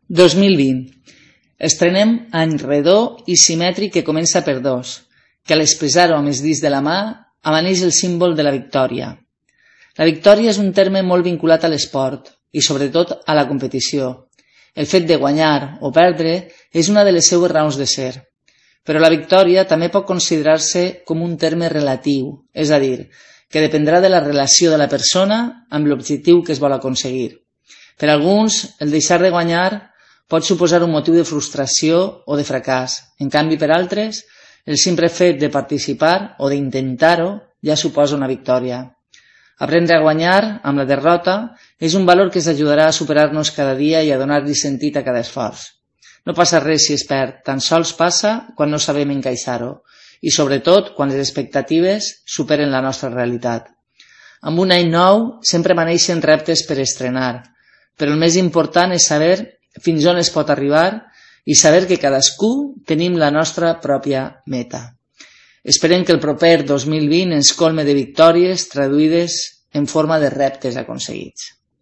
2020. Estrenem any redó i simètric que comença per 2, que a l'expressar-ho amb els dits de la mà amaneix el símbol de la victòria. La victòria és un terme molt vinculat a l'esport i sobretot a la competició. El fet de guanyar o perdre és una de les seues raons de ser. Però la victòria també pot considerar-se com un terme relatiu, és a dir, que dependrà de la relació de la persona amb l'objectiu que es vol aconseguir. Per alguns, el deixar de guanyar pot suposar un motiu de frustració o de fracàs. En canvi, per altres, el simple fet de participar o d'intentar-ho ja suposa una victòria. Aprendre a guanyar amb la derrota és un valor que ens ajudarà a superar-nos cada dia i a donar-li sentit a cada esforç. No passa res si es perd, tan sols passa quan no sabem encaixar-ho i sobretot quan les expectatives superen la nostra realitat. Amb un any nou sempre maneixen reptes per estrenar, però el més important és saber fins on es pot arribar i saber que cadascú tenim la nostra pròpia meta. Esperem que el proper 2020 ens colme de victòries traduïdes en forma de reptes aconseguits.